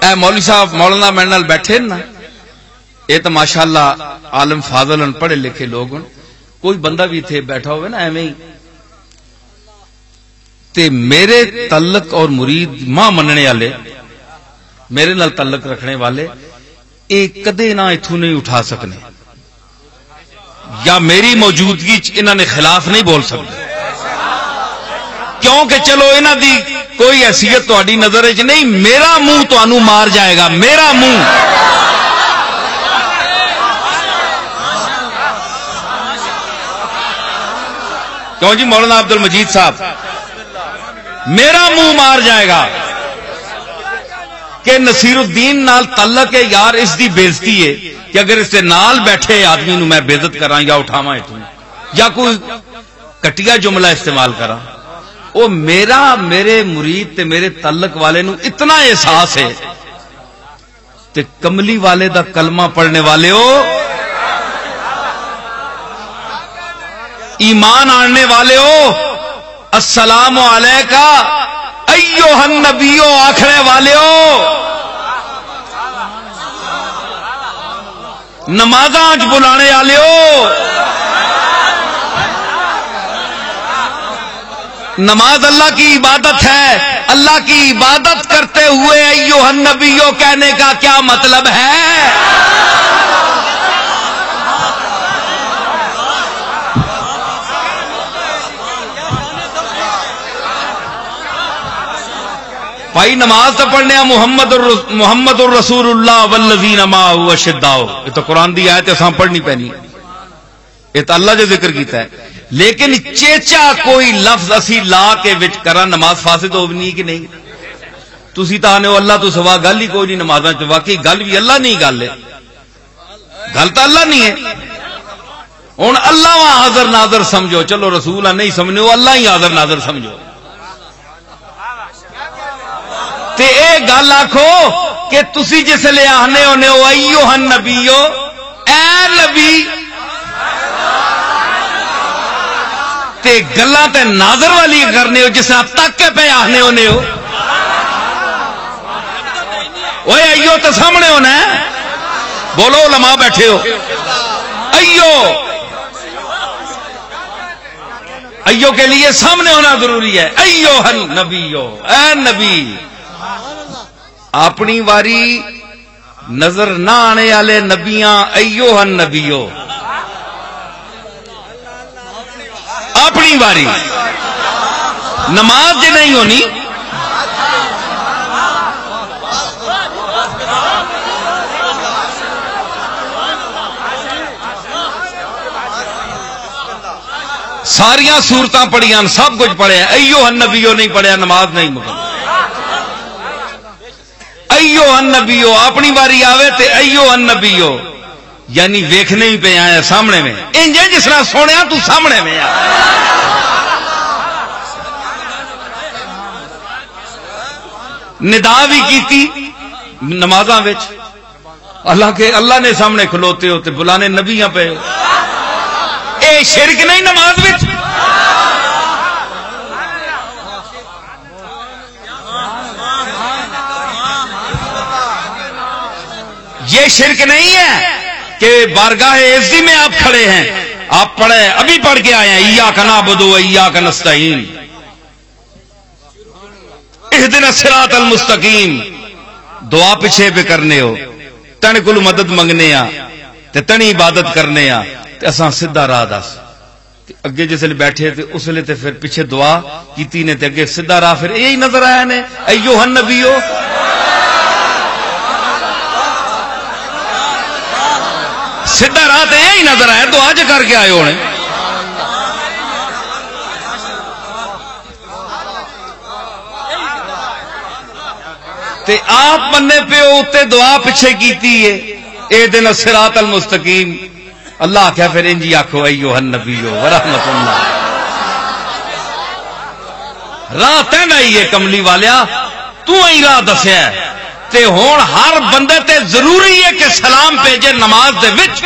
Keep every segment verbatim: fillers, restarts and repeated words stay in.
اے مولوی صاحب، مولانا میرے نال بیٹھے نا، اے تو ماشاءاللہ عالم فاضل ہن، پڑھے لکھے لوگ ہن۔ کوئی بندہ بھی اتھے بیٹھا ہوئے نا ایویں ہی، تے میرے تعلق اور مرید ماں مننے والے، میرے نال تعلق رکھنے والے، اے کدے نہ اتھوں نہیں اٹھا سکنے، یا میری موجودگی چ انہاں نے خلاف نہیں بول سکتے، کیونکہ چلو انہاں دی کوئی حیثیت تہاڈی نظر وچ نہیں، میرا منہ تانوں مار جائے گا، میرا منہ۔ کیوں جی مولانا عبد المجید صاحب، میرا منہ مار جائے گا کہ نصیر الدین نال تعلق ہے یار، اس دی بےعزتی ہے کہ اگر اس دے نال بیٹھے آدمی نو میں بےعزت کراں یا اٹھاواں اتھوں یا کوئی کٹیا جملہ استعمال کراں۔ او میرا، میرے مرید تے میرے تعلق والے نو اتنا احساس ہے۔ تے کملی والے دا کلمہ پڑھنے والے ہو، ایمان آننے والے ہو، السلام علیکہ ایھا النبیو آکھنے والے ہو، نمازاں وچ بلانے والے ہو۔ نماز اللہ کی عبادت ہے، اللہ کی عبادت کرتے ہوئے ایھا النبیو کہنے کا کیا مطلب ہے؟ بھائی، نماز تو پڑھنے آ، محمد الرس-، محمد الرسول اللہ والذین معہ اشداء، یہ تو قرآن دی آیت ہے، اساں پڑھنی پینی۔ یہ تو اللہ جو ذکر کیتا ہے، لیکن چیچا کوئی لفظ اسی لا کے وچ کراں، نماز فاسد ہونی کہ نہیں؟ تسی تاں آنے ہو اللہ تو سوا گل ہی کوئی نہیں نمازاں چ، واقعی گل بھی اللہ نہیں گل ہے، گل تو اللہ نہیں ہے۔ ہن اللہ وا حاضر ناظر سمجھو، چلو رسول آ نہیں سمجھنے، وہ اللہ ہی حاضر ناظر سمجھو۔ تے اے گل آکھو کہ تسی جس لے آہنے ہونے ہو، "ایھا النبیو"، اے نبی، تے گلاں تے ناظر والی کرنے ہو، جس طرح تک کے پہ آہنے ہونے ہو۔ اوئے، ایو تے سامنے ہونا ہے۔ بولو، علماء بیٹھے ہو، ایو۔ ایو کے لیے سامنے ہونا ضروری ہے۔ ایھا النبیو، اے نبی، اپنی واری نظر نہ آنے والے نبیاں، ایھا النبیو، اپنی واری نماز جے نہیں ہونی، ساریاں سورتاں پڑھیاں، سب کچھ پڑھیا، ایھا النبیو نہیں پڑھیا، نماز نہیں مکمل۔ ایھا النبیو، اپنی واری آوے تے ایھا النبیو، یعنی ویکھنے ہی پہ آیا سامنے میں، انج ہے جس طرح سونے تو سامنے میں آ۔ ندا بھی کیتی نمازاں وچ، حالانکہ اللہ نے سامنے کھلوتے ہو تے بلانے نبیاں پہ۔ اے شرک نہیں نماز وچ؟ یہ شرک نہیں ہے کہ بارگاہ عزی میں آپ کھڑے ہیں، آپ پڑھے، ابھی پڑھ کے آئے ہیں، "ایاک نعبد و ایاک نستعین، اہدنا الصراط المستقیم"، دعا پیچھے پہ کرنے ہو، تن کول مدد منگنے آ، تے تنی عبادت کرنے آ، تے اساں سیدھا راہ دس۔ تے اگے جس ویلے بیٹھے تے اس ویلے تے پھر پیچھے دعا کیتی نے، تے اگے سیدھا راہ پھر یہی نظر آیا نے، "ایھا النبیو"۔ سیدھا راہ تے یہی نظر آیا، دعا جے کر کے آئے ہونے۔ تے آپ منے پیو اتے دعا پچھے کیتی ہے، "اہدنا الصراط المستقیم"۔ اللہ آکھیا، "پھر انجی آکھو، ایھا النبی ورحمۃ اللہ۔" راہ تیندا ہی ہے کملی والیا، تو ہی راہ دسیا ہے۔ تے ہن ہر بندے تے ضروری ہے کہ سلام بھیجے نماز دے وچ۔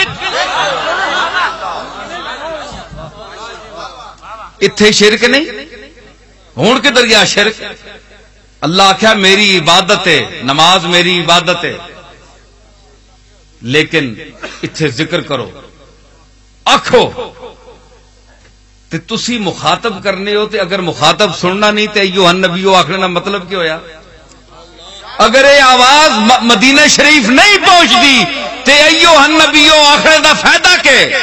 اتھے شرک نہیں، ہن کدھر گیا شرک؟ اللہ آخیا، "میری عبادت ہے، نماز میری عبادت ہے۔" لیکن اتھے ذکر کرو، آکھو۔ تے تسی مخاطب کرنے ہو، تے اگر مخاطب سننا نہیں، تے ایوہ النبیو آخنے دا مطلب کی ہویا؟ اگر یہ آواز م-، مدینہ شریف نہیں پہنچدی، تے ایوہ النبیو آخنے دا فائدہ کے؟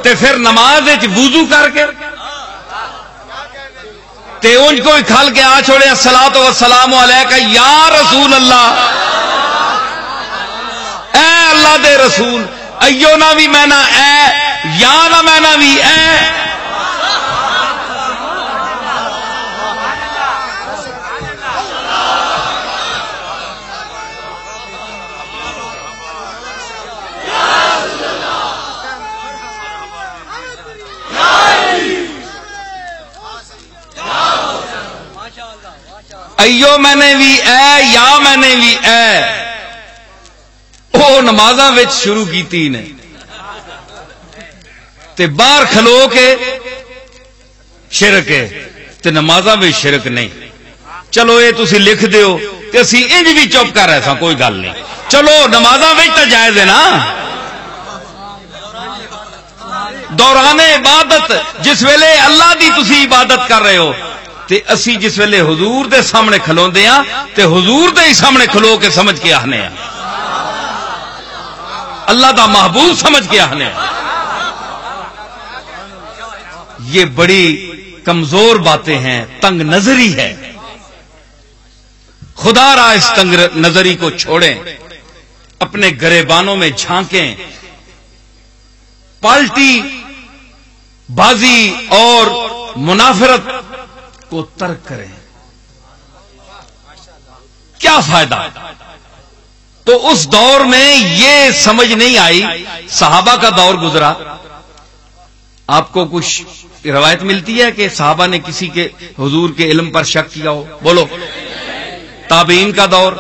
تے پھر نماز وچ وضو کر کے تے اونج کوئی کھل کے آ چھوڑے، "الصلاۃ والسلام علیک یا رسول اللہ۔" اے اللہ دے رسول، ایو نہ وی میں نہ اے، یا نہ میں نہ وی اے۔ ایو میں نے وی اے، یا میں نے وی اے۔ او نمازاں وچ شروع کیتی نے، تے باہر کھلو کے شرک ہے، تے نمازاں وچ شرک نہیں۔ چلو، اے تسی لکھ دیو، تے اسی انج بھی چپ کر رہے ساں، کوئی گل نہیں۔ چلو، نمازاں وچ تاں جائز ہے نا۔ دوران عبادت، جس ویلے اللہ دی تسی عبادت کر رہے ہو، تے اسی جس ویلے حضور دے سامنے کھلوندے ہاں، تے حضور دے ہی سامنے کھلو کے سمجھ کے آہنے ہاں، اللہ دا محبوب سمجھ کے آہنے ہاں۔ یہ بڑی کمزور باتیں ہیں، تنگ نظری ہے۔ خدا را اس تنگ نظری کو چھوڑیں، اپنے گریبانوں میں جھانکیں، پالٹی بازی اور منافرت کو ترک کریں۔ کیا فائدہ؟ تو اس دور میں یہ سمجھ نہیں آئی، صحابہ کا دور گزرا، آپ کو کچھ روایت ملتی ہے کہ صحابہ نے کسی کے، حضور کے علم پر شک کیا ہو؟ بولو۔ تابعین کا دور،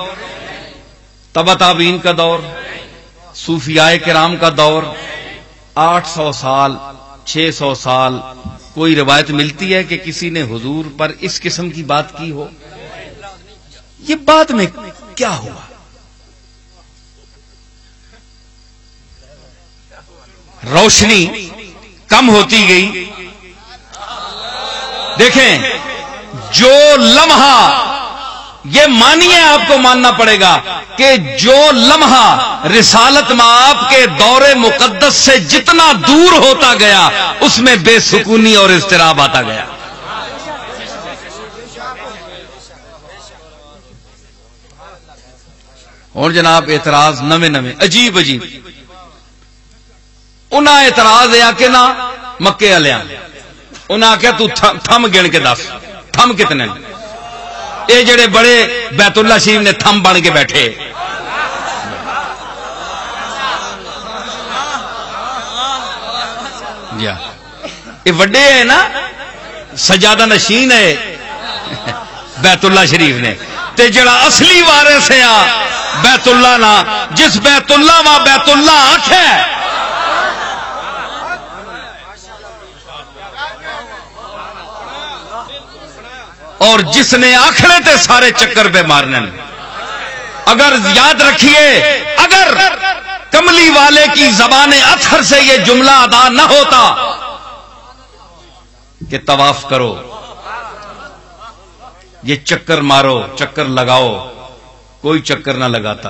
تبع تابعین کا دور، صوفیاء کرام کا دور، آٹھ سو سال، چھ سو سال، کوئی روایت ملتی ہے کہ کسی نے حضور پر اس قسم کی بات کی ہو؟ یہ بعد میں کیا ہوا؟ روشنی کم ہوتی گئی۔ دیکھیں، جو لمحہ، یہ مانیے، آپ کو ماننا پڑے گا کہ جو لمحہ رسالت مآب کے دور مقدس سے جتنا دور ہوتا گیا، اس میں بے سکونی اور اضطراب آتا گیا۔ ہن جناب، اعتراض نویں نویں، عجیب عجیب۔ انہاں اعتراض اے آ کہ نہ، مکے والیاں، انہاں آکھیا، "تو تھ-، تھم گن کے دس، تھم کتنے نے؟" اے جڑے بڑے بیت اللہ شریف نے تھم بن کے بیٹھے۔ جی ہاں۔ یہ وڈے ہے نا، سجادہ نشین ہے بیت اللہ شریف نے۔ تے جڑا اصلی وارث ہے آ بیت اللہ نا، جس بیت اللہ وا بیت اللہ آکھے، اور جس نے آکھنے تے سارے چکر پہ مارنے۔ اگر یاد رکھیے، اگر کملی والے کی زبان اطہر سے یہ جملہ ادا نہ ہوتا کہ طواف کرو، یہ چکر مارو، چکر لگاؤ، کوئی چکر نہ لگاتا۔